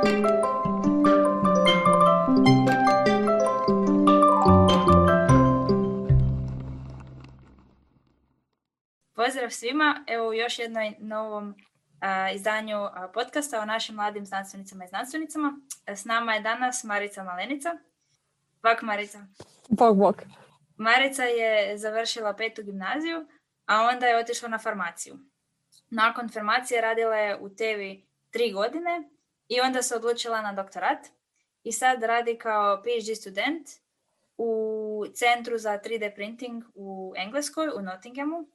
Pozdrav svima, evo u još jednom novom izdanju podcasta o našim mladim znanstvenicama i znanstvenicama. S nama je danas Marica Malenica. Bok Marica. Bok. Marica je završila 5. gimnaziju, a onda je otišla na farmaciju. Nakon farmacije radila je u Tevi 3 godine i onda se odlučila na doktorat i sad radi kao PhD student u Centru za 3D printing u Engleskoj, u Nottinghamu,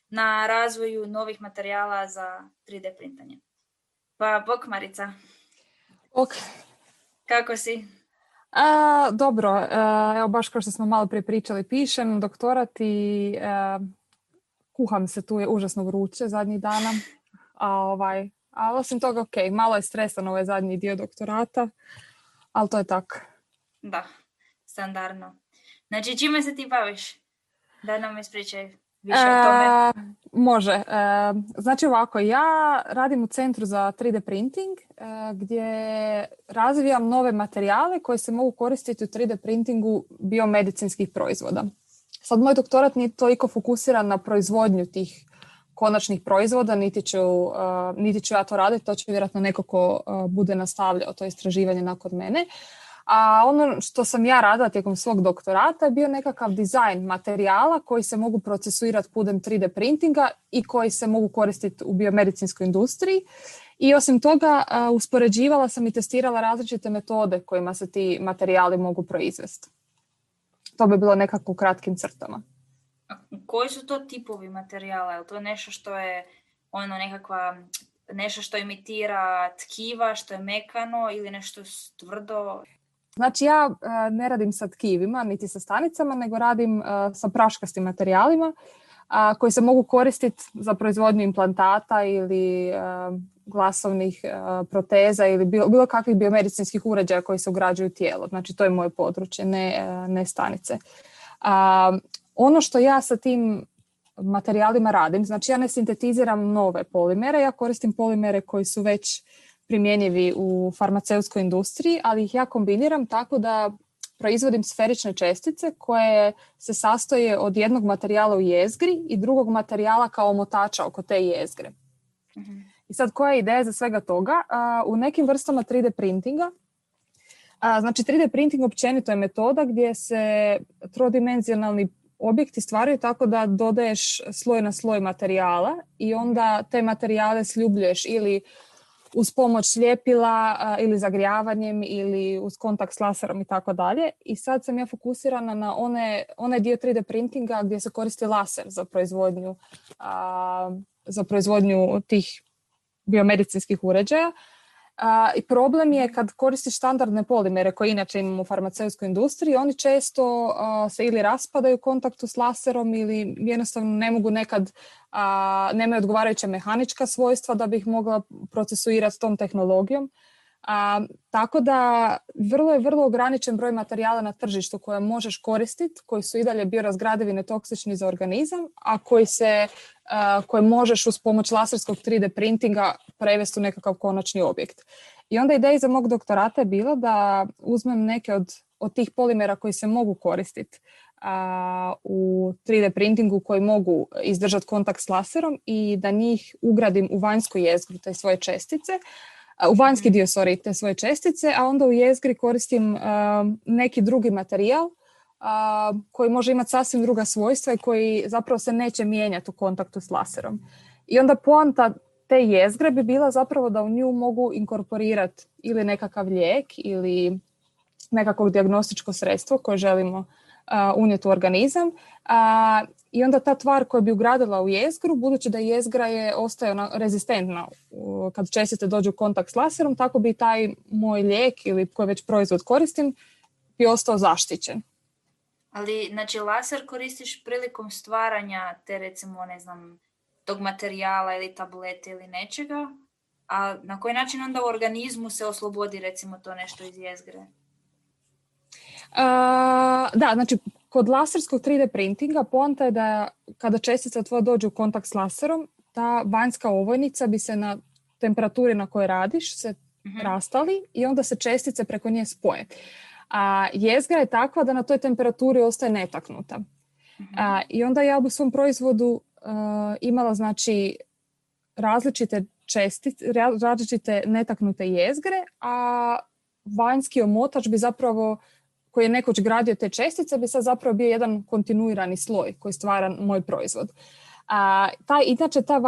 na razvoju novih materijala za 3D printanje. Pa, bok Marica. Ok. Kako si? Dobro, evo baš kao što smo malo prije pričali, pišem doktorat i kuham se, tu je užasno vruće zadnjih dana. A osim toga, ok, malo je stresan ovaj zadnji dio doktorata, ali to je tako. Da, standardno. Znači, čime se ti baviš? Da nam ispričaj više o tome. Može. Znači ovako, ja radim u Centru za 3D printing gdje razvijam nove materijale koji se mogu koristiti u 3D printingu biomedicinskih proizvoda. Sad moj doktorat nije toliko fokusiran na proizvodnju tih konačnih proizvoda, niti ću ja to raditi, to će vjerojatno neko ko bude nastavljao to istraživanje nakon mene. A ono što sam ja radila tijekom svog doktorata je bio nekakav dizajn materijala koji se mogu procesuirati putem 3D printinga i koji se mogu koristiti u biomedicinskoj industriji. I osim toga uspoređivala sam i testirala različite metode kojima se ti materijali mogu proizvesti. To bi bilo nekako u kratkim crtama. Koji su to tipovi materijala? Je li to nešto što je nešto što imitira tkiva, što je mekano ili nešto tvrdo? Znači ja ne radim sa tkivima niti sa stanicama, nego radim sa praškastim materijalima koji se mogu koristiti za proizvodnju implantata ili glasovnih proteza ili bilo kakvih biomedicinskih uređaja koji se ugrađuju u tijelo. Znači to je moje područje, ne stanice. Ono što ja sa tim materijalima radim, znači ja ne sintetiziram nove polimere, ja koristim polimere koji su već primjenjivi u farmaceutskoj industriji, ali ih ja kombiniram tako da proizvodim sferične čestice koje se sastoje od jednog materijala u jezgri i drugog materijala kao omotača oko te jezgre. Mm-hmm. I sad koja je ideja za svega toga? U nekim vrstama 3D printinga, znači 3D printing općenito je metoda gdje se trodimenzionalni objekti stvaraju tako da dodaješ sloj na sloj materijala i onda te materijale sljubljuješ ili uz pomoć ljepila ili zagrijavanjem ili uz kontakt s laserom i tako dalje. I sad sam ja fokusirana na onaj dio 3D printinga gdje se koristi laser za proizvodnju tih biomedicinskih uređaja. I problem je kad koristiš standardne polimere koje inače imamo u farmaceutskoj industriji, oni često se ili raspadaju u kontaktu s laserom ili jednostavno ne mogu nekad, nemaju odgovarajuća mehanička svojstva da bi ih mogla procesuirati s tom tehnologijom. Tako da vrlo ograničen broj materijala na tržištu koje možeš koristiti, koji su i dalje biorazgradivi, netoksični za organizam, a koje možeš uz pomoć laserskog 3D printinga prevesti u nekakav konačni objekt. I onda ideja za mog doktorata je bila da uzmem neke od tih polimera koji se mogu koristiti u 3D printingu, koji mogu izdržati kontakt s laserom i da njih ugradim u vanjsku jezgru te svoje čestice, u vanjski dio te svoje čestice, a onda u jezgri koristim neki drugi materijal koji može imati sasvim druga svojstva i koji zapravo se neće mijenjati u kontaktu s laserom. I onda poanta te jezgre bi bila zapravo da u nju mogu inkorporirati ili nekakav lijek ili nekakvo dijagnostičko sredstvo koje želimo unijeti u organizam. I onda ta tvar koja bi ugradila u jezgru, budući da jezgra ostaje rezistentna kad čestice dođu u kontakt s laserom, tako bi taj moj lijek ili koji već proizvod koristim bi ostao zaštićen. Ali, znači, laser koristiš prilikom stvaranja te, recimo, tog materijala ili tablete ili nečega, a na koji način onda u organizmu se oslobodi, recimo, to nešto iz jezgre? Da, znači, kod laserskog 3D printinga poanta je da kada čestica tvoja dođe u kontakt s laserom, ta vanjska ovojnica bi se na temperaturi na kojoj radiš se rastali i onda se čestice preko nje spoje. A jezgra je takva da na toj temperaturi ostaje netaknuta. I onda ja u svom proizvodu imala znači različite različite netaknute jezgre, a vanjski omotač bi zapravo, koji je nekoć gradio te čestice, bi sad zapravo bio jedan kontinuirani sloj koji stvara moj proizvod. Inače, ta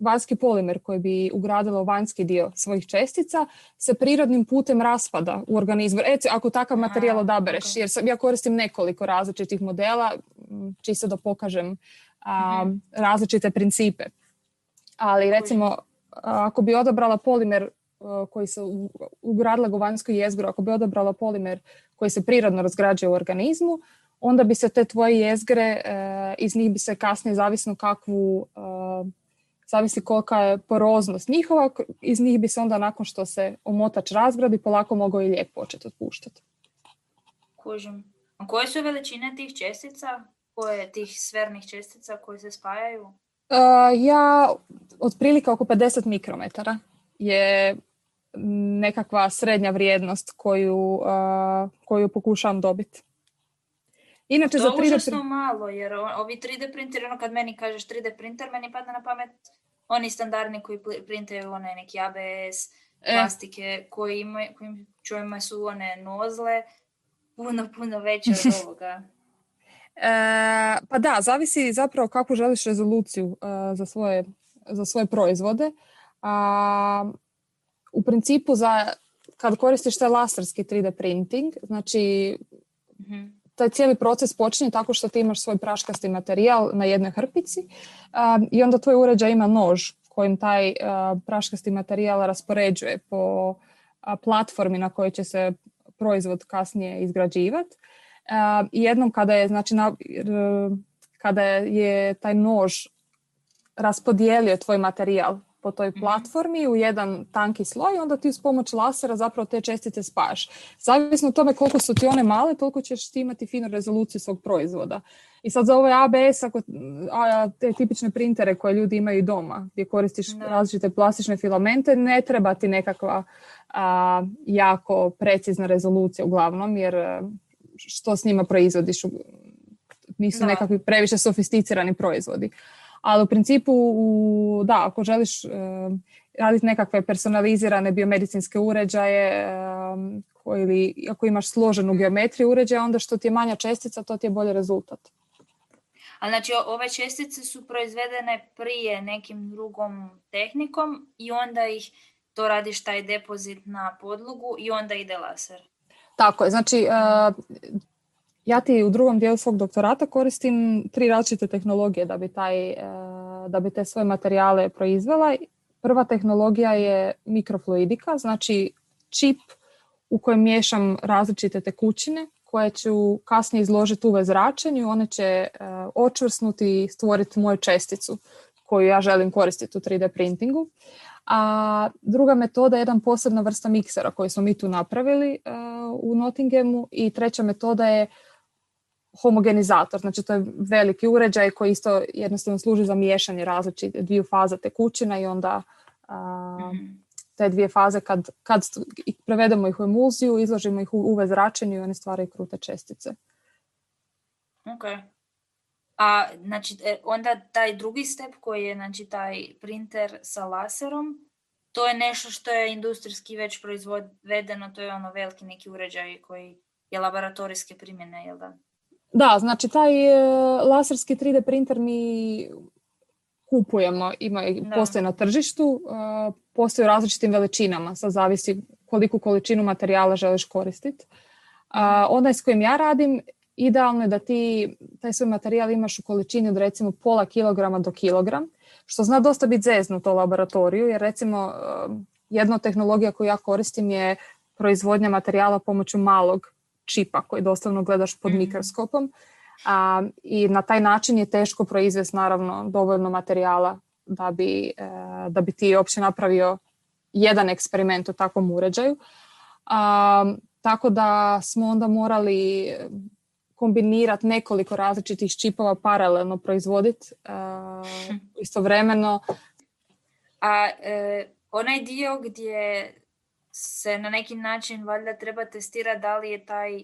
vanjski polimer koji bi ugradila u vanjski dio svojih čestica se prirodnim putem raspada u organizmu. Ako takav materijal odabereš, jer ja koristim nekoliko različitih modela, čisto da pokažem različite principe. Ali recimo, ako bi odabrala polimer koji se ugradila u vanjsku jezgru, ako bi odabrala polimer koji se prirodno razgrađuje u organizmu, onda bi se te tvoje jezgre, iz njih bi se kasnije, zavisi kolika je poroznost njihova, iz njih bi se onda nakon što se omotač razgradi polako mogao i lijek početi otpuštati. Kužim. A koje su veličine tih čestica? Tih sfernih čestica koje se spajaju? Ja otprilike oko 50 mikrometara je nekakva srednja vrijednost koju pokušavam dobiti. Inače, to je užasno malo, jer ovi 3D printeri, kad meni kažeš 3D printer, meni padne na pamet oni standardni koji printaju one neki ABS plastike, koji čujemo su one nozle puno veće od ovoga. Pa da, zavisi zapravo kakvu želiš rezoluciju za svoje proizvode. U principu kad koristiš taj laserski 3D printing, znači taj cijeli proces počinje tako što ti imaš svoj praškasti materijal na jednoj hrpici i onda tvoj uređaj ima nož kojim taj praškasti materijal raspoređuje po platformi na kojoj će se proizvod kasnije izgrađivati. I jednom kada je taj nož raspodijelio tvoj materijal po toj platformi u jedan tanki sloj, onda ti uz pomoć lasera zapravo te čestice spajaš. Zavisno od tome koliko su ti one male, toliko ćeš ti imati finu rezoluciju svog proizvoda. I sad za ovaj ABS, te tipične printere koje ljudi imaju doma, gdje koristiš različite plastične filamente, ne treba ti nekakva jako precizna rezolucija uglavnom, jer što s njima proizvodiš, nisu nekakvi previše sofisticirani proizvodi. Ali u principu, ako želiš raditi nekakve personalizirane biomedicinske uređaje ili ako imaš složenu geometriju uređaja, onda što ti je manja čestica, to ti je bolji rezultat. A znači ove čestice su proizvedene prije nekim drugom tehnikom i onda ih to radiš taj depozit na podlogu i onda ide laser. Tako je, znači ja ti u drugom dijelu svog doktorata koristim 3 različite tehnologije da bi te svoje materijale proizvela. Prva tehnologija je mikrofluidika, znači čip u kojem miješam različite tekućine koje ću kasnije izložiti UV zračenju. One će očvrsnuti i stvoriti moju česticu koju ja želim koristiti u 3D printingu. A druga metoda je jedan posebna vrsta miksera koju smo mi tu napravili u Nottinghamu i treća metoda je homogenizator, znači to je veliki uređaj koji isto jednostavno služi za miješanje različite 2 faza tekućina i onda te 2 faze kad prevedemo ih u emulziju, izložimo ih u UV zračenju i one stvaraju krute čestice. Ok. A znači onda taj drugi step koji je znači taj printer sa laserom, to je nešto što je industrijski već proizvedeno, to je ono veliki neki uređaj koji je laboratorijske primjene, jel da? Da, znači taj laserski 3D printer mi kupujemo, postoji na tržištu, postoji u različitim veličinama, sad zavisi koliku količinu materijala želiš koristiti. Onaj s kojim ja radim, idealno je da ti taj svoj materijal imaš u količini od recimo pola kilograma do kilogram, što zna dosta biti zeznuto u laboratoriju, jer recimo jedna od tehnologija koju ja koristim je proizvodnja materijala pomoću malog čipa koji doslovno gledaš pod mikroskopom i na taj način je teško proizvesti naravno dovoljno materijala da bi ti uopće napravio jedan eksperiment u takvom uređaju. Tako da smo onda morali kombinirati nekoliko različitih čipova paralelno proizvoditi istovremeno. A onaj dio gdje se na neki način valjda treba testirati da li je taj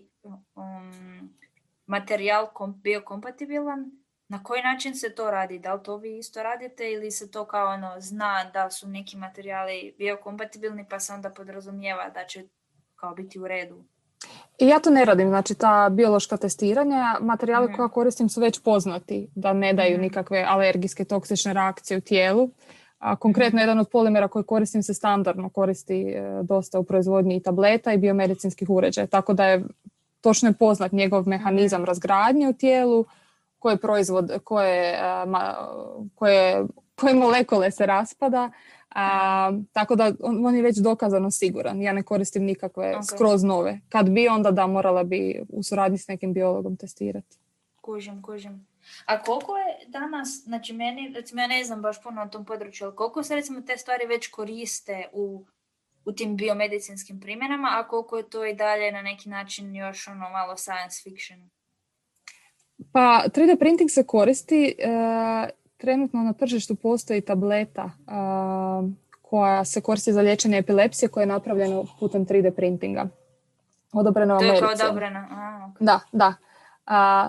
materijal biokompatibilan, na koji način se to radi? Da li to vi isto radite ili se to kao zna da su neki materijali biokompatibilni pa se onda podrazumijeva da će kao biti u redu? I ja to ne radim, znači ta biološka testiranja, materijali koje koristim su već poznati, da ne daju nikakve alergijske toksične reakcije u tijelu. A konkretno jedan od polimera koji koristim se standardno koristi dosta u proizvodnji i tableta i biomedicinskih uređaja, tako da je točno je poznat njegov mehanizam razgradnje u tijelu, koje molekule se raspada, tako da on je već dokazano siguran. Ja ne koristim nikakve skroz nove. Kad bi, onda da, morala bi u suradnji s nekim biologom testirati. Kužim. A koliko je danas, znači ja ne znam baš puno o tom području, ali koliko se recimo te stvari već koriste u tim biomedicinskim primjenama, a koliko je to i dalje na neki način još malo science fiction? Pa 3D printing se koristi, trenutno na tržištu postoji tableta koja se koristi za liječenje epilepsije koja je napravljena putem 3D printinga. Odobrena u Americi. To je kao odobrena? Okay. Da.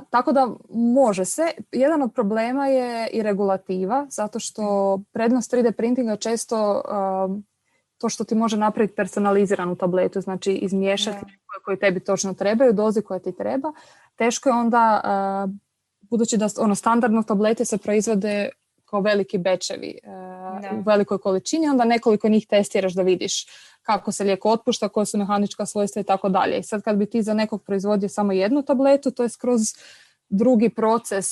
Tako da može se. Jedan od problema je i regulativa, zato što prednost 3D printinga često to što ti može napraviti personaliziranu tabletu, znači izmiješati koji tebi točno trebaju, dozi koja ti treba. Teško je onda, budući da standardno tablete se proizvode kao veliki bečevi u velikoj količini, onda nekoliko njih testiraš da vidiš kako se lijek otpušta, koje su mehanička svojstva i tako dalje. I sad kad bi ti za nekog proizvodio samo jednu tabletu, to je skroz drugi proces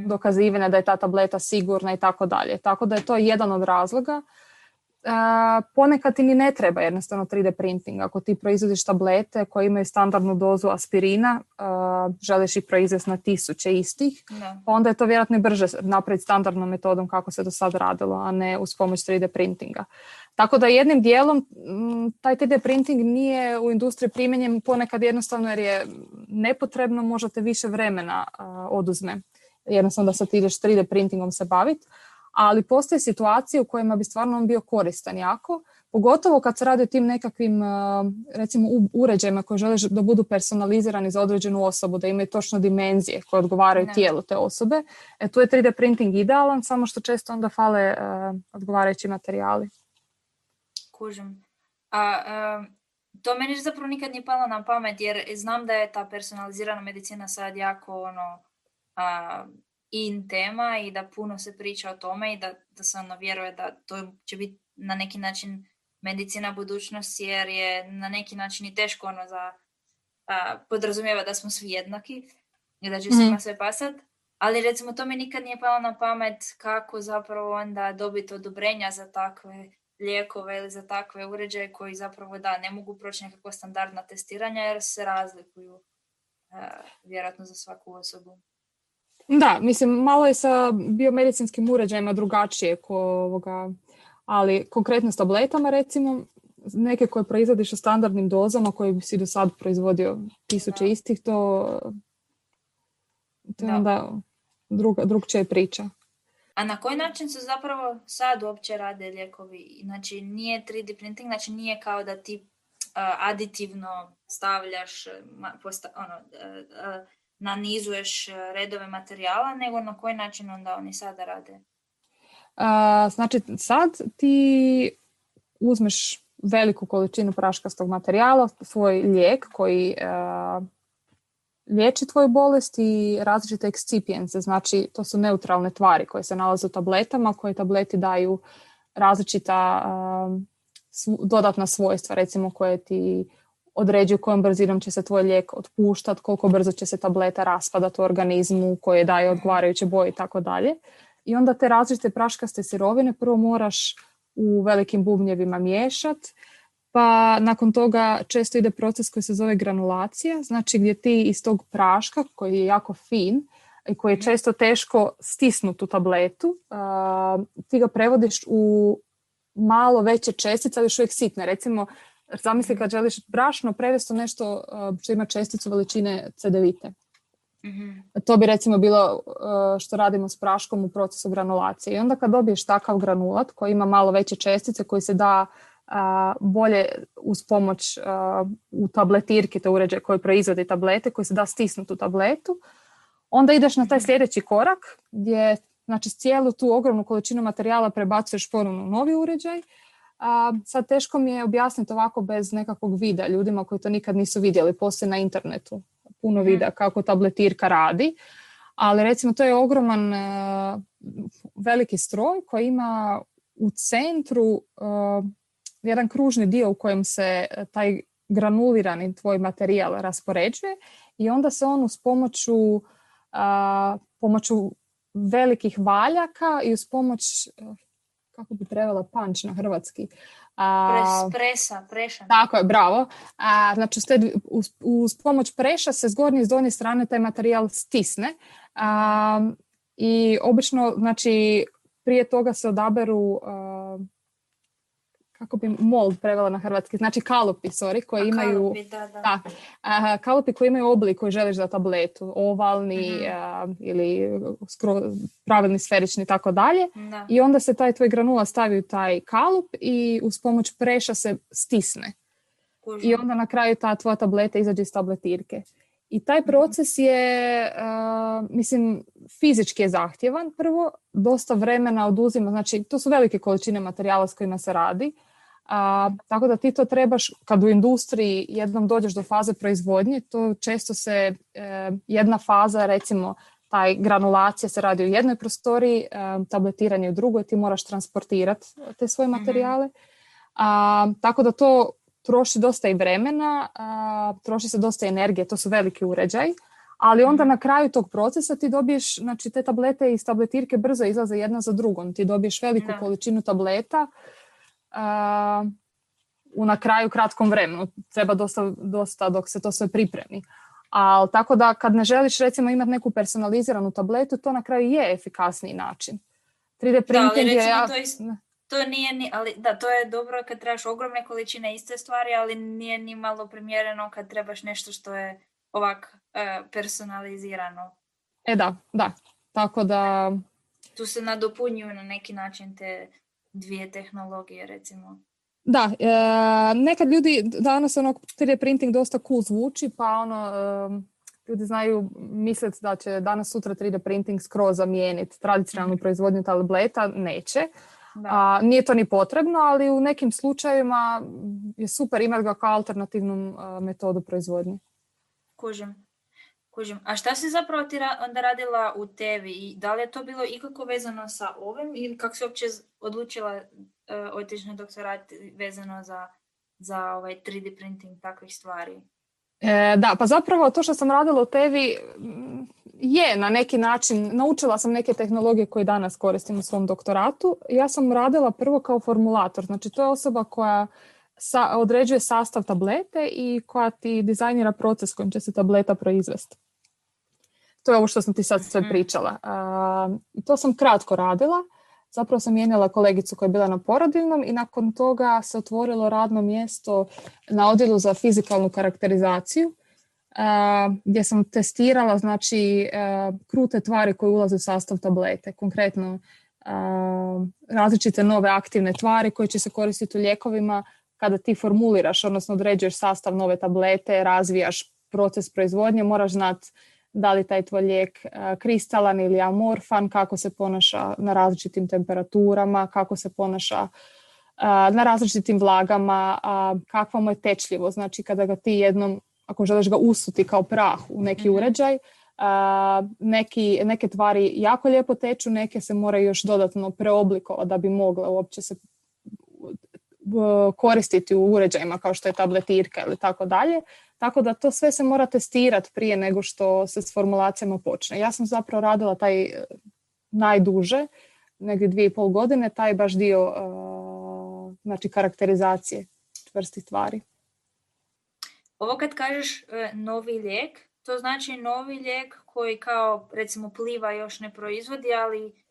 dokazivanja da je ta tableta sigurna i tako dalje. Tako da je to jedan od razloga. Ponekad ti ni ne treba jednostavno 3D printing. Ako ti proizvodiš tablete koje imaju standardnu dozu aspirina, želiš ih proizvesti na 1000 istih, pa onda je to vjerojatno i brže napraviti standardnom metodom kako se do sad radilo, a ne uz pomoć 3D printinga. Tako da jednim dijelom taj 3D printing nije u industriji primijenjen ponekad jednostavno jer je nepotrebno, možda te više vremena oduzme. Jednostavno da sad ti ideš 3D printingom se baviti. Ali postoje situacije u kojima bi stvarno on bio koristan jako, pogotovo kad se radi o tim nekakvim recimo uređajima koji žele da budu personalizirani za određenu osobu, da imaju točno dimenzije koje odgovaraju tijelu te osobe. Tu je 3D printing idealan, samo što često onda fale odgovarajući materijali. Kužim. To meni zapravo nikad nije palo na pamet, jer znam da je ta personalizirana medicina sad jako in tema i da puno se priča o tome i da se vjeruje da to će biti na neki način medicina budućnosti, jer je na neki način i teško podrazumijeva da smo svi jednaki i da će svima sve pasat. Ali recimo to mi nikad nije palo na pamet kako zapravo onda dobiti odobrenja za takve lijekove ili za takve uređaje koji zapravo ne mogu proći nekakva standardna testiranja jer se razlikuju vjerojatno za svaku osobu. Da, mislim, malo je sa biomedicinskim uređajima drugačije ali konkretno s tabletama recimo, neke koje proizvodiš u standardnim dozama koje bi si do sad proizvodio 1000 istih, to je onda drugčija priča. A na koji način se zapravo sad uopće rade lijekovi? Znači nije 3D printing, znači nije kao da ti aditivno stavljaš nanizuješ redove materijala, nego na koji način onda oni sada rade? Znači sad ti uzmeš veliku količinu praškastog materijala, svoj lijek koji liječi tvoju bolest i različite excipients, znači to su neutralne tvari koje se nalaze u tabletama, koje tableti daju različita dodatna svojstva, recimo koje ti određuju kojom brzinom će se tvoj lijek otpuštati, koliko brzo će se tableta raspadati u organizmu, koje daje odgovarajuće boje i tako dalje. I onda te različite praškaste sirovine prvo moraš u velikim bubnjevima miješati, pa nakon toga često ide proces koji se zove granulacija, znači gdje ti iz tog praška koji je jako fin i koji je često teško stisnuti u tabletu, ti ga prevodiš u malo veće čestice, ali još uvijek sitne. Recimo, zamisli kad želiš brašno prevesti u nešto što ima česticu veličine cedevite. To bi recimo bilo što radimo s praškom u procesu granulacije. I onda kad dobiješ takav granulat koji ima malo veće čestice, koji se da bolje uz pomoć u tabletirki, to uređaj koji proizvodi tablete, koji se da stisnuti u tabletu, onda ideš na taj sljedeći korak gdje znači cijelu tu ogromnu količinu materijala prebacuješ ponovno u novi uređaj. Sad teško mi je objasniti ovako bez nekakvog videa ljudima koji to nikad nisu vidjeli. Postoji na internetu puno videa kako tabletirka radi, ali recimo to je ogroman veliki stroj koji ima u centru jedan kružni dio u kojem se taj granulirani tvoj materijal raspoređuje i onda se on uz pomoću velikih valjaka i uz pomoć, kako bi prevela punch na hrvatski? Preša. Tako je, bravo. Znači uz pomoć preša se s gornje i s donje strane taj materijal stisne i obično znači prije toga se odaberu kako bi mold prevela na hrvatski, znači kalupi, koji imaju kalupi koji imaju oblik koji želiš za tabletu, ovalni ili pravilni, sferični i tako dalje. I onda se taj tvoj granula stavi u taj kalup i uz pomoć preša se stisne. I onda na kraju ta tvoja tableta izađe iz tabletirke. I taj proces je, mislim, fizički je zahtjevan prvo, dosta vremena oduzima, znači to su velike količine materijala s kojima se radi, tako da ti to trebaš, kad u industriji jednom dođeš do faze proizvodnje, to često se jedna faza, recimo taj granulacija se radi u jednoj prostoriji, tabletiranje u drugoj, ti moraš transportirati te svoje materijale, tako da to troši dosta i vremena, troši se dosta energije, to su veliki uređaji, ali onda na kraju tog procesa ti dobiješ, znači te tablete iz tabletirke brzo izlaze jedna za drugom, ti dobiješ veliku količinu tableta u na kraju kratkom vremenu, treba dosta dok se to sve pripremi. Ali tako da kad ne želiš recimo imati neku personaliziranu tabletu, to na kraju je efikasniji način. 3D printing to nije ali da, to je dobro kad trebaš ogromne količine iste stvari, ali nije ni malo primjereno kad trebaš nešto što je ovak personalizirano. Da. Tako da... Tu se nadopunjuju na neki način te dvije tehnologije, recimo. Da, nekad ljudi danas 3D printing dosta cool zvuči, pa ljudi znaju misliti da će danas sutra 3D printing skroz zamijeniti tradicionalnu proizvodnju tableta, neće. Nije to ni potrebno, ali u nekim slučajevima je super imati ga kao alternativnu metodu proizvodnje. Kužim. A šta si zapravo ti onda radila u tebi i da li je to bilo ikako vezano sa ovim ili kako si uopće odlučila otići na doktorat vezano za ovaj 3D printing takvih stvari? Da, pa zapravo to što sam radila u tebi je na neki način, naučila sam neke tehnologije koje danas koristim u svom doktoratu. Ja sam radila prvo kao formulator, znači to je osoba koja određuje sastav tablete i koja ti dizajnira proces kojim će se tableta proizvesti. To je ovo što sam ti sad sve pričala. To sam kratko radila. Zapravo sam mijenjala kolegicu koja je bila na porodiljnom i nakon toga se otvorilo radno mjesto na odjelu za fizikalnu karakterizaciju gdje sam testirala znači krute tvari koje ulaze u sastav tablete. Konkretno različite nove aktivne tvari koje će se koristiti u lijekovima kada ti formuliraš, odnosno određuješ sastav nove tablete, razvijaš proces proizvodnje, moraš znati da li taj tvoj lijek kristalan ili amorfan, kako se ponaša na različitim temperaturama, kako se ponaša na različitim vlagama, kakva mu je tečljivost. Znači kada ga ti jednom, ako želiš ga usuti kao prah u neki uređaj, neke tvari jako lijepo teču, neke se moraju još dodatno preoblikovati da bi mogle uopće se koristiti u uređajima kao što je tabletirka ili tako dalje. Tako da to sve se mora testirati prije nego što se s formulacijama počne. Ja sam zapravo radila taj najduže, negdje 2,5 godine, taj baš dio znači karakterizacije čvrstih tvari. Ovo kad kažeš novi lijek, to znači novi lijek koji kao recimo Pliva još ne proizvodi, ali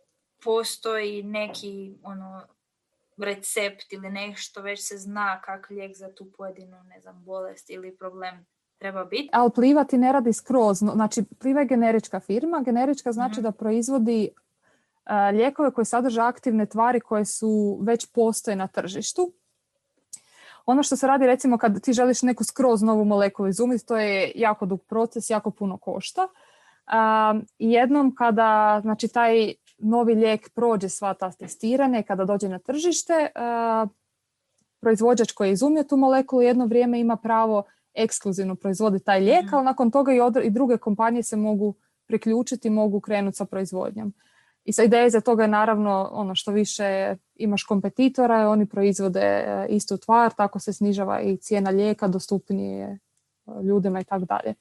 postoji neki recept ili nešto, već se zna kak lijek za tu pojedinu, bolest ili problem treba biti. Ali Pliva ti ne radi skroz. Znači, Pliva je generička firma. Generička znači da proizvodi lijekove koji sadrže aktivne tvari koje su već postoje na tržištu. Ono što se radi, recimo, kad ti želiš neku skroz novu molekulu izumiti, to je jako dug proces, jako puno košta. Jednom kada, znači, taj novi lijek prođe sva ta testiranja i kada dođe na tržište, proizvođač koji je izumio tu molekulu jedno vrijeme ima pravo ekskluzivno proizvoditi taj lijek, ali nakon toga i druge kompanije se mogu priključiti, mogu krenuti sa proizvodnjom. I sa ideje za toga je naravno ono što više imaš kompetitora, oni proizvode istu tvar, tako se snižava i cijena lijeka, dostupnije ljudima i tako dalje.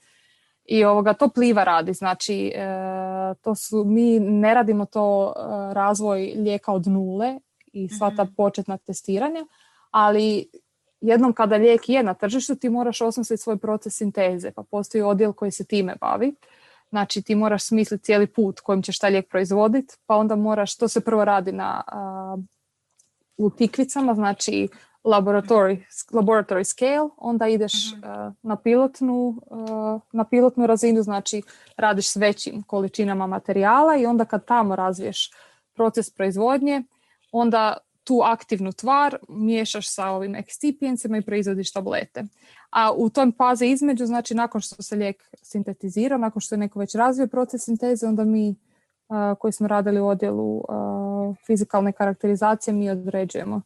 I to Pliva radi, znači mi ne radimo to razvoj lijeka od nule i sva ta početna testiranja, ali jednom kada lijek je na tržištu ti moraš osmisliti svoj proces sinteze, pa postoji odjel koji se time bavi. Znači ti moraš smisliti cijeli put kojim ćeš taj lijek proizvoditi, pa onda to se prvo radi u tikvicama, znači laboratory scale, onda ideš na pilotnu razinu, znači radiš s većim količinama materijala i onda kad tamo razviješ proces proizvodnje, onda tu aktivnu tvar miješaš sa ovim excipientsima i proizvodiš tablete. A u tom fazi između, znači nakon što se lijek sintetizira, nakon što je neko već razvio proces sinteze, onda mi koji smo radili u odjelu fizikalne karakterizacije, mi određujemo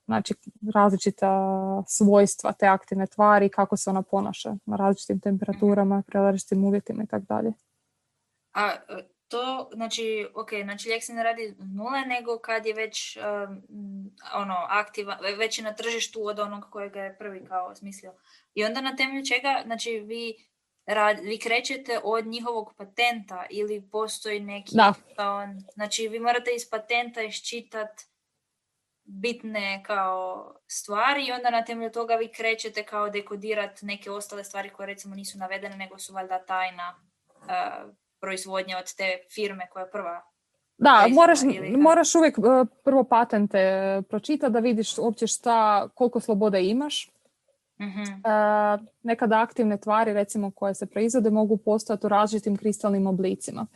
znači različita svojstva te aktivne tvari, kako se ona ponaša na različitim temperaturama, pri različitim uvjetima i tako dalje. A to, znači, znači lijek se ne radi nule, nego kad je već aktivan, već je na tržištu od onog kojega je prvi kao smislio. I onda na temelju čega, znači vi krećete od njihovog patenta ili postoji neki... Znači vi morate iz patenta iščitati bitne kao stvari i onda na temelju toga vi krećete kao dekodirati neke ostale stvari koje recimo nisu navedene, nego su valjda tajna proizvodnja od te firme koja je prva. Da, moraš uvijek prvo patente pročitati da vidiš uopće koliko slobode imaš. Nekada aktivne tvari recimo koje se proizvode mogu postojati u različitim kristalnim oblicima.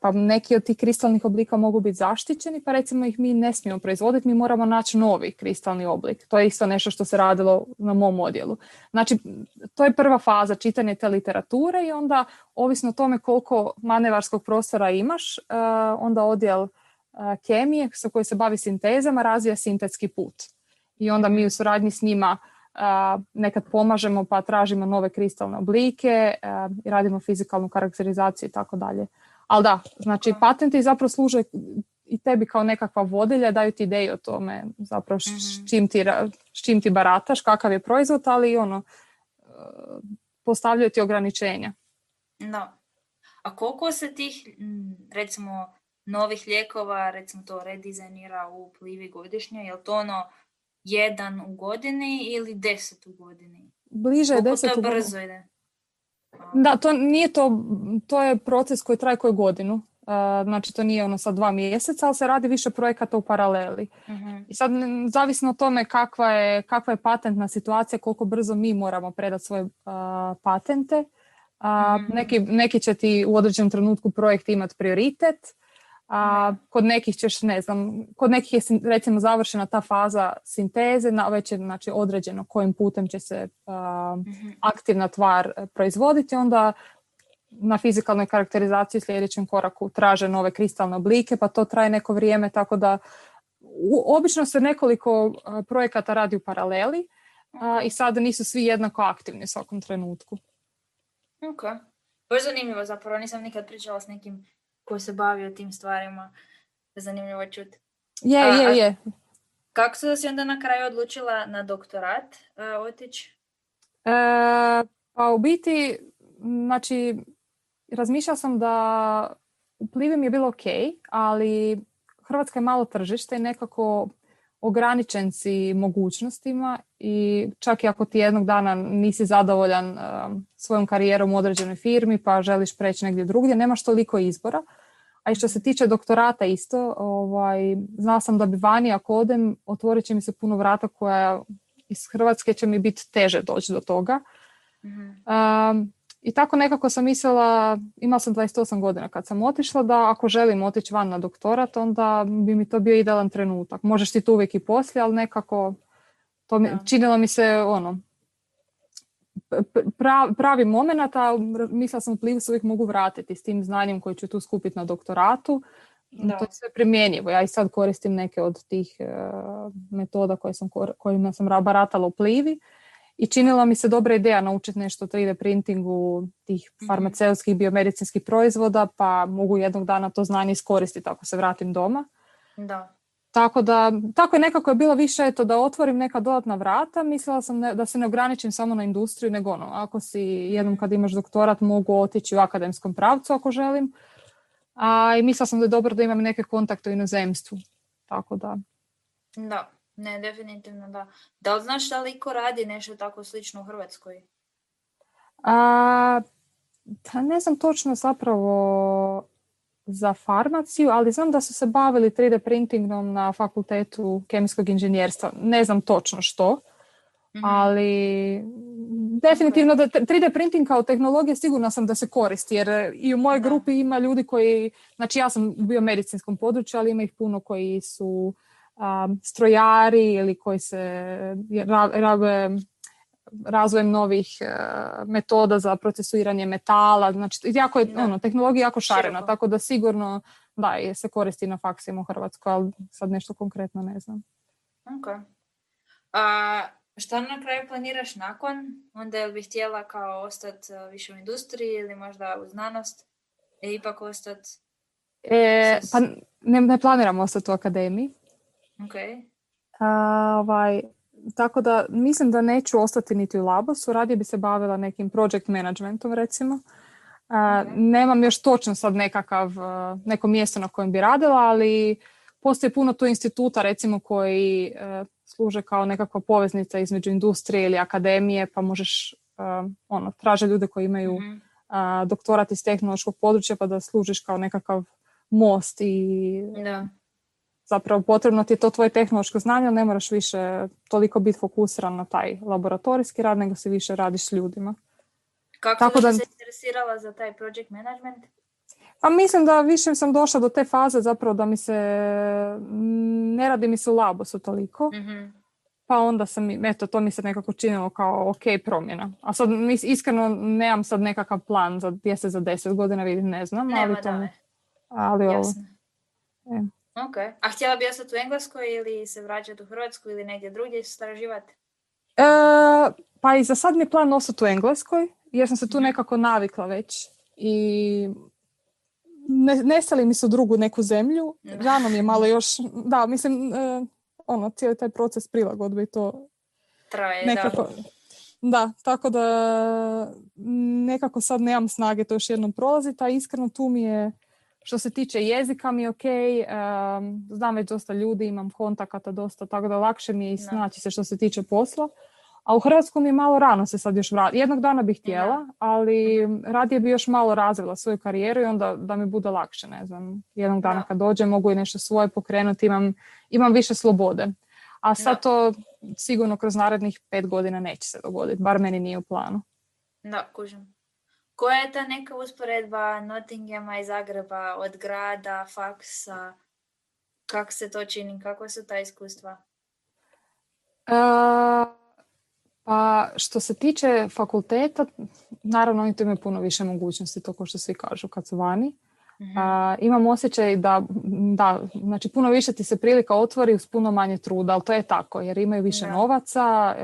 Pa neki od tih kristalnih oblika mogu biti zaštićeni, pa recimo ih mi ne smijemo proizvoditi, mi moramo naći novi kristalni oblik. To je isto nešto što se radilo na mom odjelu. Znači, to je prva faza, čitanje te literature i onda, ovisno o tome koliko manevarskog prostora imaš, onda odjel kemije sa koji se bavi sintezama razvija sintetski put. I onda mi u suradnji s njima nekad pomažemo pa tražimo nove kristalne oblike i radimo fizikalnu karakterizaciju i tako dalje. Ali da, znači patenti zapravo služe i tebi kao nekakva vodilja, daju ti ideju o tome zapravo s čim ti barataš, kakav je proizvod, ali postavljaju ti ograničenja. Da. A koliko se tih, recimo, novih lijekova, recimo to redizajnira u Plivi godišnje, je li to jedan u godini ili 10 u godini? Bliže je 10 u godini. Koliko to brzo ide? Da, to je proces koji traje koju godinu. Znači to nije sad 2 mjeseca, ali se radi više projekata u paraleli. I sad zavisno o tome kakva je patentna situacija, koliko brzo mi moramo predati svoje patente. Neki će ti u određenom trenutku projekt imati prioritet, kod nekih ćeš, ne znam, kod nekih je recimo završena ta faza sinteze, već je znači, određeno kojim putem će se aktivna tvar proizvoditi, onda na fizikalnoj karakterizaciji u sljedećem koraku traže nove kristalne oblike, pa to traje neko vrijeme, tako da obično se nekoliko projekata radi u paraleli i sada nisu svi jednako aktivni u svakom trenutku. Ok. To je zanimljivo zapravo, nisam nikad pričala s nekim ko se bavio tim stvarima. Zanimljivo čuti. Je. Kako si onda na kraju odlučila na doktorat otići? Pa u biti, znači, razmišljala sam da u Plivi mi je bilo ok, ali Hrvatska je malo tržište i nekako ograničen si mogućnostima i čak i ako ti jednog dana nisi zadovoljan svojom karijerom u određenoj firmi pa želiš preći negdje drugdje, nemaš toliko izbora. A i što se tiče doktorata isto, znala sam da bi vani ako odem, otvorit će mi se puno vrata koja iz Hrvatske će mi biti teže doći do toga. I tako nekako sam mislila, imala sam 28 godina kad sam otišla, da ako želim otići van na doktorat, onda bi mi to bio idealan trenutak. Možeš ti to uvijek i poslije, ali nekako činilo mi se pravi moment, a mislila sam u Plivu se uvijek mogu vratiti s tim znanjem koje ću tu skupiti na doktoratu. To je sve primjenjivo. Ja i sad koristim neke od tih metoda kojima sam baratala u Plivi i činila mi se dobra ideja naučiti nešto o 3D printingu tih farmaceutskih biomedicinskih proizvoda, pa mogu jednog dana to znanje iskoristiti ako se vratim doma. Da. Tako je nekako bilo više da otvorim neka dodatna vrata. Mislila sam da se ne ograničim samo na industriju, nego ako si jednom kad imaš doktorat mogu otići u akademskom pravcu ako želim. I mislila sam da je dobro da imam neke kontakte u inozemstvu. Tako da. Da, ne, definitivno da. Da li znaš da li iko radi nešto tako slično u Hrvatskoj? Ne znam točno zapravo za farmaciju, ali znam da su se bavili 3D printingom na fakultetu kemijskog inženjerstva. Ne znam točno što, ali definitivno da 3D printing kao tehnologija sigurno sam da se koristi, jer i u mojoj grupi ima ljudi koji, znači ja sam u biomedicinskom području, ali ima ih puno koji su strojari ili koji se rave razvojem novih metoda za procesuiranje metala. Znači, jako je, tehnologija jako šarena, široko. Tako da sigurno se koristi na faksima u Hrvatskoj, ali sad nešto konkretno ne znam. Ok. Šta na kraju planiraš nakon? Onda je li bih htjela kao ostati više u industriji ili možda u znanost? Ipak ostati? Pa ne planiram ostati u akademiji. Ok. Tako da mislim da neću ostati niti u Labosu, radije bi se bavila nekim project managementom recimo. Nemam još točno sad neko mjesto na kojem bi radila, ali postoji puno tu instituta recimo koji služe kao nekakva poveznica između industrije ili akademije, pa možeš traže ljude koji imaju doktorat iz tehnološkog područja pa da služiš kao nekakav most i zapravo potrebno ti je to tvoje tehnološko znanje, ali ne moraš više toliko biti fokusiran na taj laboratorijski rad, nego se više radiš s ljudima. Kako si se interesirala za taj project management? Pa mislim da više sam došla do te faze zapravo da ne radi mi se u Labosu toliko. Pa onda to mi se nekako činilo kao ok promjena. A sad iskreno nemam sad nekakav plan za gdje se za 10 godina vidim, ne znam. Ali jasno. Ok. A htjela bi ostati u Engleskoj ili se vraćati u Hrvatsku ili negdje drugdje istraživati? Pa i za sad mi je plan ostati u Engleskoj, jer sam se tu nekako navikla već. I nestali mi su drugu neku zemlju. Rano mi je malo još, cijeli taj proces prilagodbe i to traje, nekako. Da, tako da nekako sad nemam snage to još jednom prolaziti, a iskreno tu mi je, što se tiče jezika mi je ok, znam već dosta ljudi, imam kontakata dosta, tako da lakše mi je i snaći se što se tiče posla. A u Hrvatsku mi je malo rano se sad još vratiti. Jednog dana bih htjela, ali radije bi još malo razvila svoju karijeru i onda da mi bude lakše, ne znam. Jednog dana kad dođem mogu i nešto svoje pokrenuti, imam više slobode. A sad to sigurno kroz narednih 5 godina neće se dogoditi, bar meni nije u planu. Da, kužim. Koja je ta neka usporedba Nottinghama i Zagreba od grada, faksa? Kako se to čini? Kako su ta iskustva? Pa što se tiče fakulteta, naravno oni tu imaju puno više mogućnosti, to kao što svi kažu kad su vani. Imam osjećaj da, znači puno više ti se prilika otvori uz puno manje truda, ali to je tako jer imaju više novaca,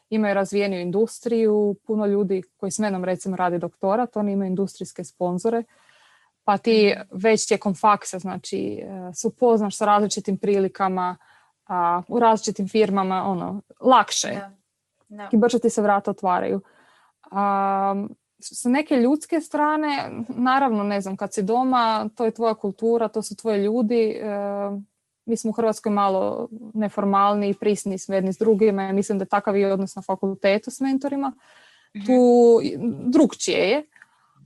imaju razvijeniju industriju, puno ljudi koji s menom recimo radi doktorat, oni imaju industrijske sponzore, pa ti već tijekom faksa znači se upoznaš sa različitim prilikama u različitim firmama, lakše. I brže ti se vrata otvaraju. Sa neke ljudske strane, naravno, ne znam, kad si doma, to je tvoja kultura, to su tvoji ljudi. Mi smo u Hrvatskoj malo neformalni i prisni s jedni s drugima. Mislim da je takav i odnos na fakultetu s mentorima. Tu drugčije je.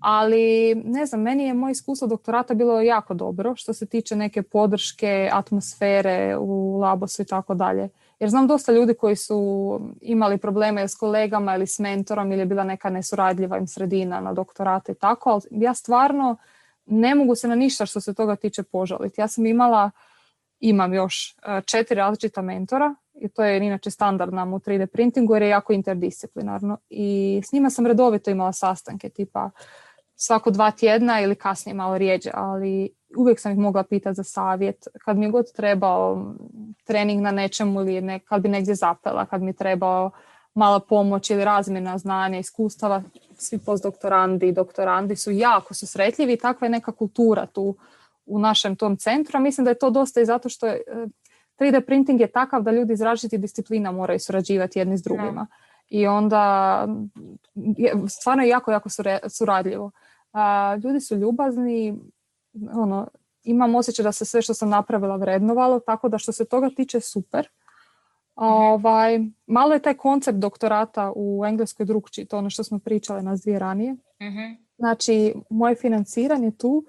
Ali, ne znam, meni je moje iskustvo doktorata bilo jako dobro što se tiče neke podrške, atmosfere u Labosu i tako dalje. Jer znam dosta ljudi koji su imali probleme s kolegama ili s mentorom ili je bila neka nesuradljiva im sredina na doktorate i tako, ali ja stvarno ne mogu se na ništa što se toga tiče požaliti. Ja sam imam još 4 različita mentora i to je inače standard nam u 3D printingu jer je jako interdisciplinarno i s njima sam redovito imala sastanke tipa svako 2 tjedna ili kasnije malo rijeđe, ali uvijek sam ih mogla pitati za savjet kad mi je god trebao trening na nečemu ili kad bi negdje zapela, kad mi je trebao mala pomoć ili razmjena znanja, iskustava. Svi postdoktorandi i doktorandi su jako susretljivi i takva je neka kultura tu u našem tom centru, a mislim da je to dosta i zato što 3D printing je takav da ljudi iz različitih disciplina moraju surađivati jedni s drugima. I onda stvarno je jako, jako suradljivo. Ljudi su ljubazni, imam osjećaj da se sve što sam napravila vrednovalo, tako da što se toga tiče super. Malo je taj koncept doktorata u Engleskoj drukčiji, to ono što smo pričale nas 2 ranije. Znači, moje financiranje tu,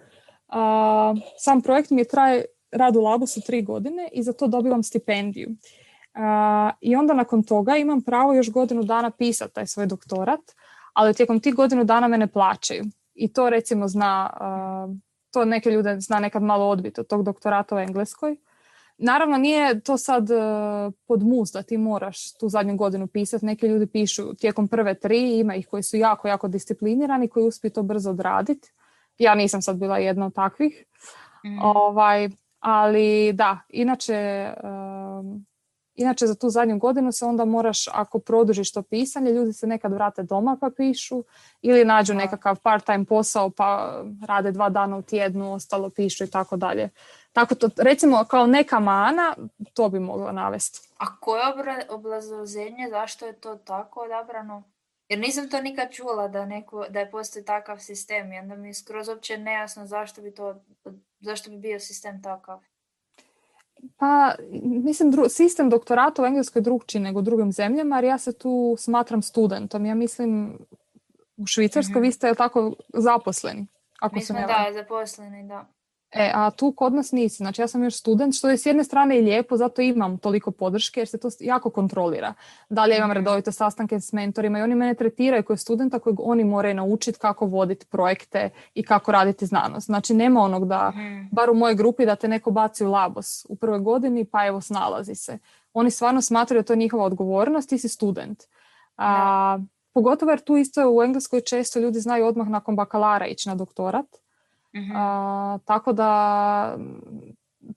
sam projekt mi traje rad u labu su 3 godine i za to dobivam stipendiju. I onda nakon toga imam pravo još godinu dana pisati taj svoj doktorat, ali tijekom tih godinu dana me ne plaćaju. I to recimo to neke ljude zna nekad malo odbiti od tog doktorata u Engleskoj. Naravno nije to sad pod mus da ti moraš tu zadnju godinu pisati. Neki ljudi pišu tijekom prve 3, ima ih koji su jako, jako disciplinirani, koji uspiju to brzo odraditi. Ja nisam sad bila jedna od takvih. Ali da, inače za tu zadnju godinu se onda moraš, ako produžiš to pisanje, ljudi se nekad vrate doma pa pišu ili nađu nekakav part-time posao pa rade 2 dana u tjednu, ostalo pišu i tako dalje. Tako to, recimo kao neka mana, to bi mogla navesti. A koje obrazloženje, zašto je to tako odabrano? Jer nisam to nikad čula da je postoji takav sistem i onda mi je skroz uopće nejasno zašto bi bio sistem takav. Pa, mislim, sistem doktorata u Engleskoj je drugčiji nego u drugim zemljama, jer ja se tu smatram studentom. Ja mislim, u Švicarskoj vi ste tako zaposleni. Mi smo zaposleni, da. A tu kod nas nisi. Znači ja sam još student, što je s jedne strane i lijepo, zato imam toliko podrške jer se to jako kontrolira. Dalje imam redovite sastanke s mentorima i oni mene tretiraju kao studenta kojeg oni moraju naučiti kako voditi projekte i kako raditi znanost. Znači nema onog da, bar u mojoj grupi, da te neko baci u labos u prvoj godini pa evo snalazi se. Oni stvarno smatraju da to je njihova odgovornost, ti si student. Pogotovo jer tu isto u Engleskoj često ljudi znaju odmah nakon bakalara ići na doktorat. Tako da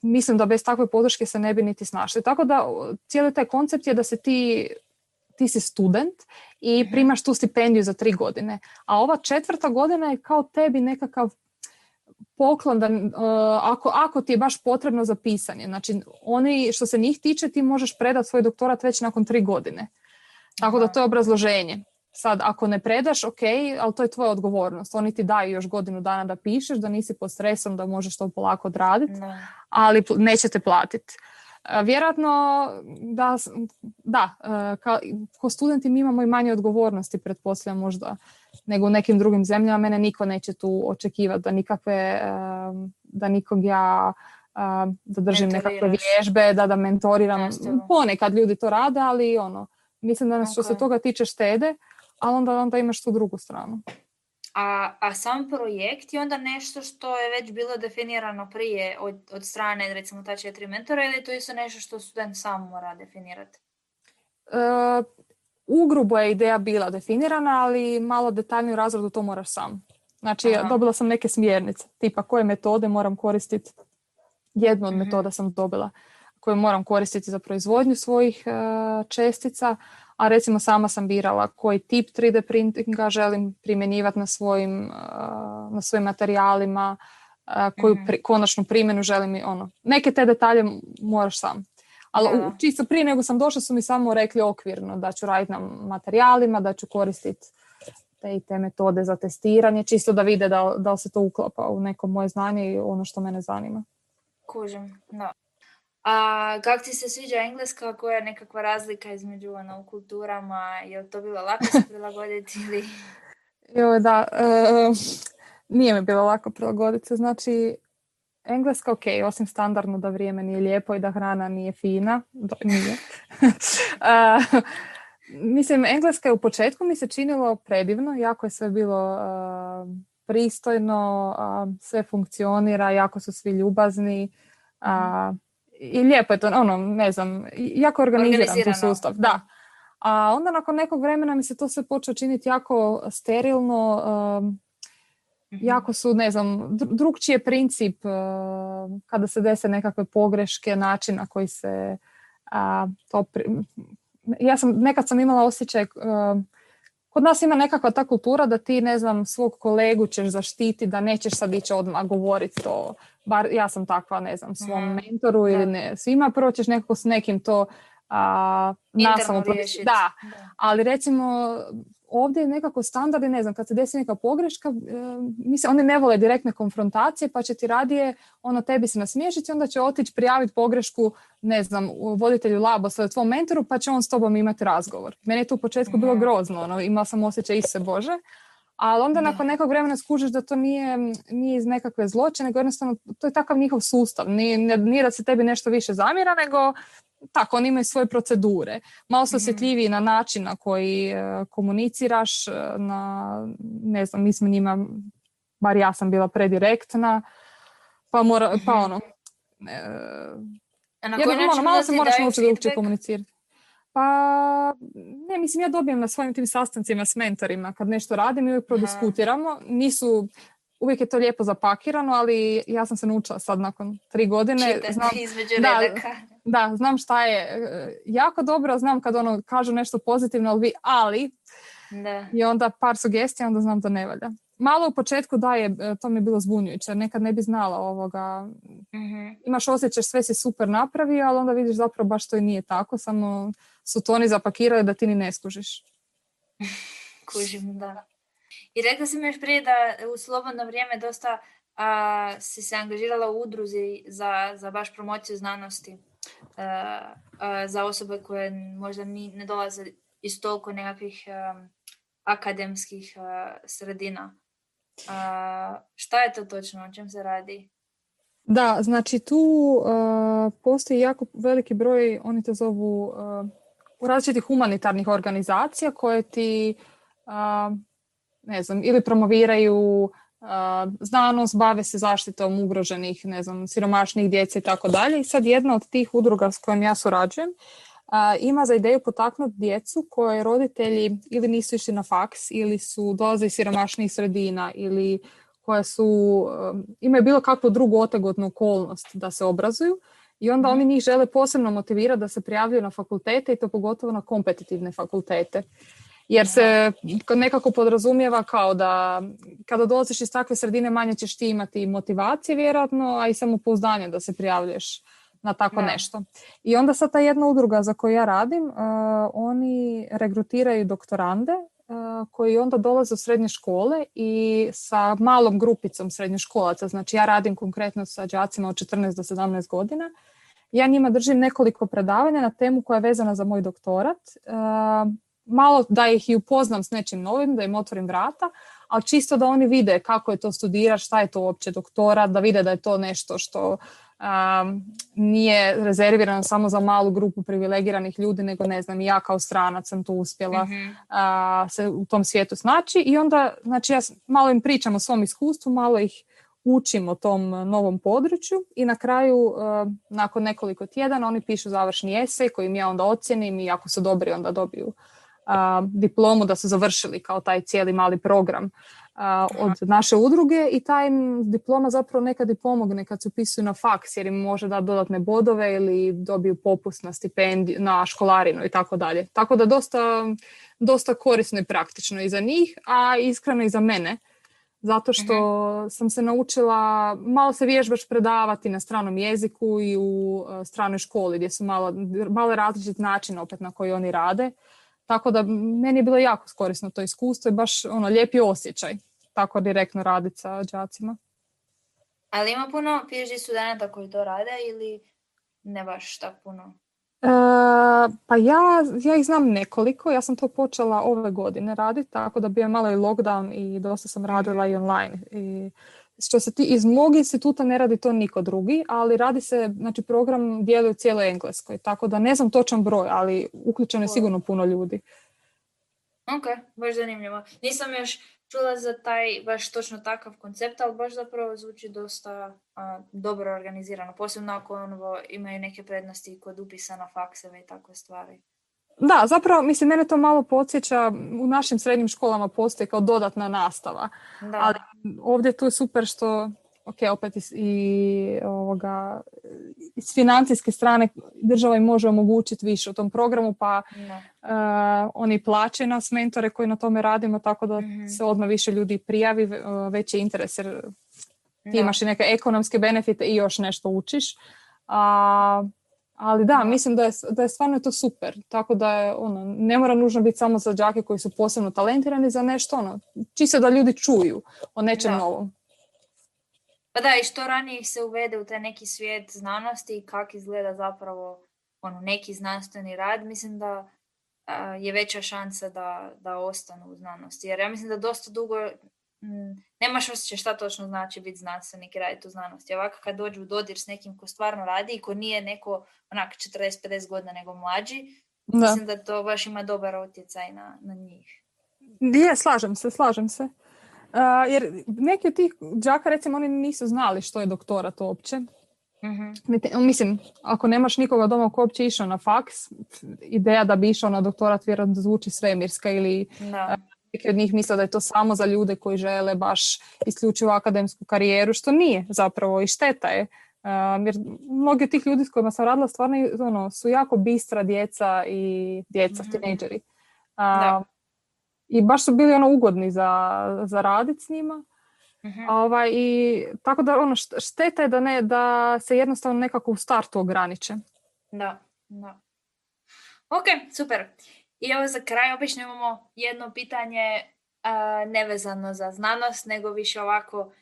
mislim da bez takve podrške se ne bi niti snašli. Tako da cijeli taj koncept je da se ti si student i primaš tu stipendiju za 3 godine. A ova 4. godina je kao tebi nekakav poklon da, ako ti je baš potrebno za pisanje. Znači oni što se njih tiče ti možeš predati svoj doktorat već nakon 3 godine. Tako da to je obrazloženje. Sad, ako ne predaš, ok, ali to je tvoja odgovornost. Oni ti daju još godinu dana da pišeš, da nisi pod stresom, da možeš to polako odraditi, ali neće te platiti. Vjerojatno kao studenti mi imamo i manje odgovornosti, pretpostavljam možda, nego u nekim drugim zemljama. Mene niko neće tu očekivati da nikog ja da držim nekakve vježbe, da mentoriram. Ponekad ljudi to rade, ali mislim da nas što se toga tiče štede, ali onda imaš tu drugu stranu. A sam projekt je onda nešto što je već bilo definirano prije od strane recimo ta 4 mentora ili to je isto nešto što student sam mora definirati? Ugrubo je ideja bila definirana, ali malo detaljniju razradu to moraš sam. Znači dobila sam neke smjernice, tipa koje metode moram koristiti. Jednu od metoda sam dobila koju moram koristiti za proizvodnju svojih čestica, a recimo sama sam birala koji tip 3D printinga želim primjenjivati na svojim materijalima, koju konačnu primjenu želim neke te detalje moraš sam. Ali čisto prije nego sam došla su mi samo rekli okvirno da ću raditi na materijalima, da ću koristiti te metode za testiranje, čisto da vide da li se to uklapa u neko moje znanje i ono što mene zanima. Kužim, da. A kako ti se sviđa Engleska, koja je nekakva razlika između u kulturama, je li to bilo lako se prilagoditi ili... Nije mi bilo lako prilagoditi se, znači Engleska, ok, osim standardno da vrijeme nije lijepo i da hrana nije fina. Nije. Mislim, Engleska je u početku mi se činilo predivno, jako je sve bilo pristojno, sve funkcionira, jako su svi ljubazni i lijepo je to, ne znam, jako organiziran tu sustav. Da. A onda nakon nekog vremena mi se to sve počeo činiti jako sterilno, jako su, ne znam, drugčiji je princip kada se dese nekakve pogreške, način na koji se nekad sam imala osjećaj, kod nas ima nekakva ta kultura da ti, ne znam, svog kolegu ćeš zaštiti, da nećeš sad ići odmah govoriti to, bar ja sam takva, ne znam, svom mentoru ili ne, svima prvo ćeš nekako s nekim to nasamo riješiti. Da, ali recimo ovdje je nekako standard, ne znam, kad se desi neka pogreška, oni ne vole direktne konfrontacije, pa će ti radije tebi se nasmiješiti, onda će otići prijaviti pogrešku, ne znam, voditelju laba, tvom mentoru, pa će on s tobom imati razgovor. Meni je to u početku bilo grozno, imala sam osjećaj se Bože, ali onda nakon nekog vremena skužiš da to nije iz nekakve zloće, nego jednostavno to je takav njihov sustav. Nije da se tebi nešto više zamjera, nego tako, oni imaju svoje procedure. Malo su osjetljiviji na način na koji komuniciraš, ne znam, mi smo njima, bar ja sam bila predirektna, malo se moraš naučiti drugčije komunicirati. Pa, ne, mislim, ja dobijem na svojim tim sastancima s mentorima, kad nešto radim i uvijek prodiskutiramo. Uvijek je to lijepo zapakirano, ali ja sam se naučila sad nakon 3 godine. Čitati između redaka. Da, znam šta je jako dobro, znam kad kažu nešto pozitivno, ali i onda par sugestija, onda znam da ne valja. Malo u početku to mi je bilo zbunjujuće, nekad ne bi znala ovoga. Imaš osjećaj sve si super napravio, ali onda vidiš zapravo baš to i nije tako, samo su to oni zapakirali da ti ni ne skužiš. Kužim, da. I rekla si mi još prije da u slobodno vrijeme dosta si se angažirala u udruzi za baš promociju znanosti za osobe koje možda ne dolaze iz toliko nekakvih akademskih sredina. Šta je to točno? O čem se radi? Da, znači tu postoji jako veliki broj, oni to zovu različitih humanitarnih organizacija koje ti ne znam, ili promoviraju znanost, bave se zaštitom ugroženih, ne znam, siromašnih djece i tako dalje. I sad jedna od tih udruga s kojom ja surađujem ima za ideju potaknuti djecu koje roditelji ili nisu išli na faks ili su dolaze iz siromašnih sredina ili koje imaju bilo kakvu drugu otegotnu okolnost da se obrazuju i onda oni njih žele posebno motivirati da se prijavljuju na fakultete i to pogotovo na kompetitivne fakultete. Jer se nekako podrazumijeva kao da kada dolaziš iz takve sredine manje ćeš ti imati motivacije vjerojatno, a i samopouzdanje da se prijavljuješ na tako nešto. I onda sad ta jedna udruga za koju ja radim, oni regrutiraju doktorande koji onda dolaze u srednje škole i sa malom grupicom srednjoškolaca, znači ja radim konkretno sa đacima od 14 do 17 godina, ja njima držim nekoliko predavanja na temu koja je vezana za moj doktorat, malo da ih i upoznam s nečim novim, da im otvorim vrata, ali čisto da oni vide kako je to studirati, šta je to uopće doktorat, da vide da je to nešto što nije rezervirano samo za malu grupu privilegiranih ljudi, nego ne znam, ja kao stranac sam tu uspjela se u tom svijetu snaći i onda, znači ja malo im pričam o svom iskustvu, malo ih učim o tom novom području i na kraju, nakon nekoliko tjedana, oni pišu završni esej koji im ja onda ocjenim i ako su dobri onda dobiju diplomu da su završili kao taj cijeli mali program od naše udruge i ta im diploma zapravo nekad i pomogne kad se upisuju na faks jer im može dati dodatne bodove ili dobiju popust na stipendiju, na školarinu i tako dalje. Tako da dosta korisno i praktično i za njih, a iskreno i za mene. Zato što sam se naučila, malo se vježbaš predavati na stranom jeziku i u stranoj školi gdje su malo različit način opet na koji oni rade. Tako da meni je bilo jako korisno to iskustvo i baš lijepi osjećaj tako direktno raditi sa đacima. Ali ima puno PhD studenta koji to rade ili ne baš tako puno? Pa ja ih znam nekoliko, ja sam to počela ove godine raditi, tako da bio malo i lockdown i dosta sam radila i online. I što se iz mnogih instituta ne radi to niko drugi, ali radi se, znači program djeluje u cijeloj Engleskoj, tako da ne znam točan broj, ali uključeno je sigurno puno ljudi. Ok, baš zanimljivo. Nisam još čula za taj baš točno takav koncept, ali baš zapravo zvuči dosta dobro organizirano, posebno ako imaju neke prednosti kod upisa na fakseve i takve stvari. Da, zapravo, mislim, mene to malo podsjeća, u našim srednjim školama postoji kao dodatna nastava. Da. Ali ovdje tu je super što, opet iz financijske strane država im može omogućiti više u tom programu, pa oni plaćaju nas mentore koji na tome radimo, tako da se odmah više ljudi prijavi, veći interes, jer ti imaš i neke ekonomske benefite i još nešto učiš. Ali da, mislim da je stvarno to super. Tako da je, ne mora nužno biti samo za đake koji su posebno talentirani za nešto, čisto da ljudi čuju o nečem novom. Pa da, i što ranije ih se uvede u taj neki svijet znanosti i kako izgleda zapravo neki znanstveni rad, mislim da je veća šansa da ostanu u znanosti. Jer ja mislim da dosta dugo nemaš osjećaj šta točno znači biti znanstvenik i raditi u znanosti. Ovako kad dođu u dodir s nekim ko stvarno radi i ko nije neko onak 40-50 godina nego mlađi, mislim da to baš ima dobar utjecaj na njih. Je, slažem se. Jer neki od tih đaka, recimo, oni nisu znali što je doktorat uopće. Mislim, ako nemaš nikoga doma ko uopće išao na faks, ideja da bi išao na doktorat vjerojatno zvuči svemirska ili neki od njih misle da je to samo za ljude koji žele baš isključivo akademsku karijeru, što nije zapravo i šteta je. Jer mnogi od tih ljudi s kojima sam radila stvarno su jako bistra djeca i tinejdžeri. I baš su bili ugodni za raditi s njima. I tako da šteta je da se jednostavno nekako u startu ograniče. Da. Ok, super. I evo za kraj obično imamo jedno pitanje nevezano za znanost, nego više ovako,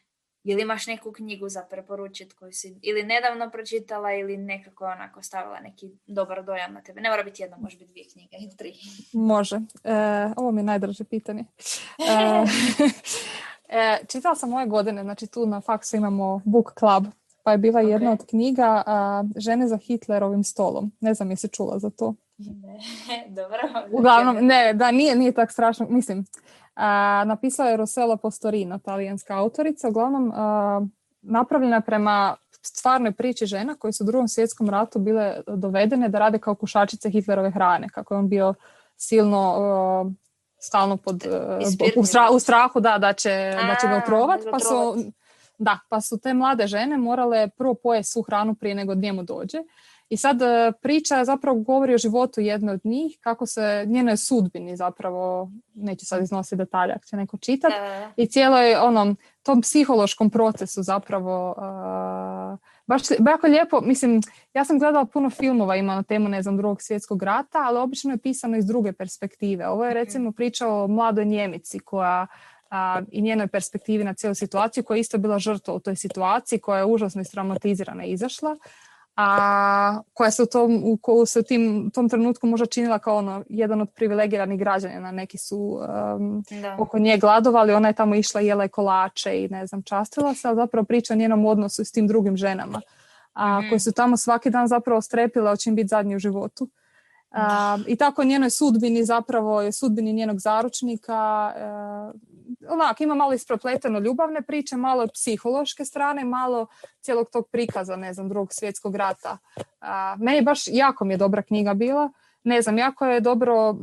ili imaš neku knjigu za preporučiti koju si ili nedavno pročitala ili nekako onako stavila neki dobar dojam na tebe. Ne mora biti jedno, može biti 2 knjige ili 3. Može. Ovo mi je najdraže pitanje. Čitala sam ove godine, znači tu na faksu imamo book club, pa je bila jedna od knjiga Žene za Hitlerovim stolom. Ne znam jesi čula za to. Ne, dobro. Uglavnom, nije tak strašno. Mislim, napisala je Rossella Postorino, talijanska autorica. Uglavnom, napravljena je prema stvarnoj priči žena koje su u Drugom svjetskom ratu bile dovedene da rade kao kušačice Hitlerove hrane. Kako je on bio silno stalno u strahu da će ga otrovati. Pa su te mlade žene morale prvo pojesti svu hranu prije nego njemu dođe. I sad priča zapravo govori o životu jedne od njih, kako se njenoj sudbini zapravo, neću sad iznositi detalje ako će neko čitati, i cijeloj tom psihološkom procesu zapravo baš jako lijepo. Mislim, ja sam gledala puno filmova ima na temu, ne znam, Drugog svjetskog rata, ali obično je pisano iz druge perspektive. Ovo je recimo priča o mladoj Njemici koja i njenoj perspektivi na cijelu situaciju, koja je isto bila žrtva u toj situaciji, koja je užasno istraumatizirana i izašla, koja se u tom trenutku možda činila kao jedan od privilegiranih građana. Neki su oko nje gladovali, ona je tamo išla, jela je kolače i ne znam, častila se, ali zapravo priča o njenom odnosu s tim drugim ženama, koje su tamo svaki dan zapravo strepile o čim biti zadnji u životu. I tako njenoj sudbini zapravo, sudbini njenog zaručnika, ima malo isprepleteno ljubavne priče, malo psihološke strane, malo cijelog tog prikaza, ne znam, Drugog svjetskog rata. Meni baš jako mi je dobra knjiga bila. Ne znam, jako je dobro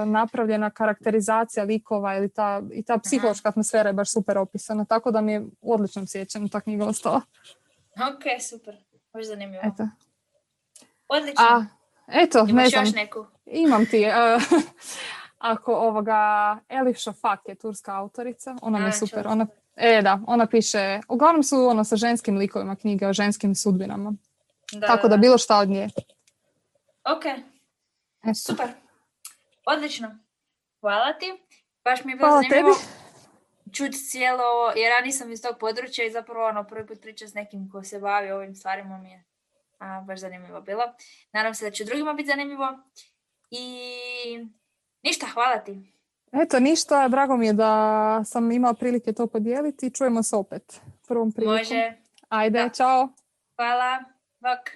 napravljena karakterizacija likova i ta psihološka atmosfera je baš super opisana, tako da mi je u odličnom sjećanju ta knjiga ostala. Ok, super. Baš zanimljivo. Eto. Odlično. Eto, imaš ne znam. Još neku? Imam ti. Ako Elif Shafak je turska autorica, ona mi je super. Ona piše, uglavnom su sa ženskim likovima knjige o ženskim sudbinama. Tako da bilo šta od nje. Ok, super. Odlično. Hvala ti. Baš mi je bilo zanimljivo čuti cijelo, jer ja nisam iz tog područja i zapravo prvi put pričam s nekim ko se bavi ovim stvarima mi je baš zanimljivo bilo. Nadam se da će drugima biti zanimljivo. I ništa, hvala ti. Eto, ništa, drago mi je da sam imala prilike to podijeliti. Čujemo se opet prvom prilikom. Može. Ajde, Da. čao. Hvala. Bok.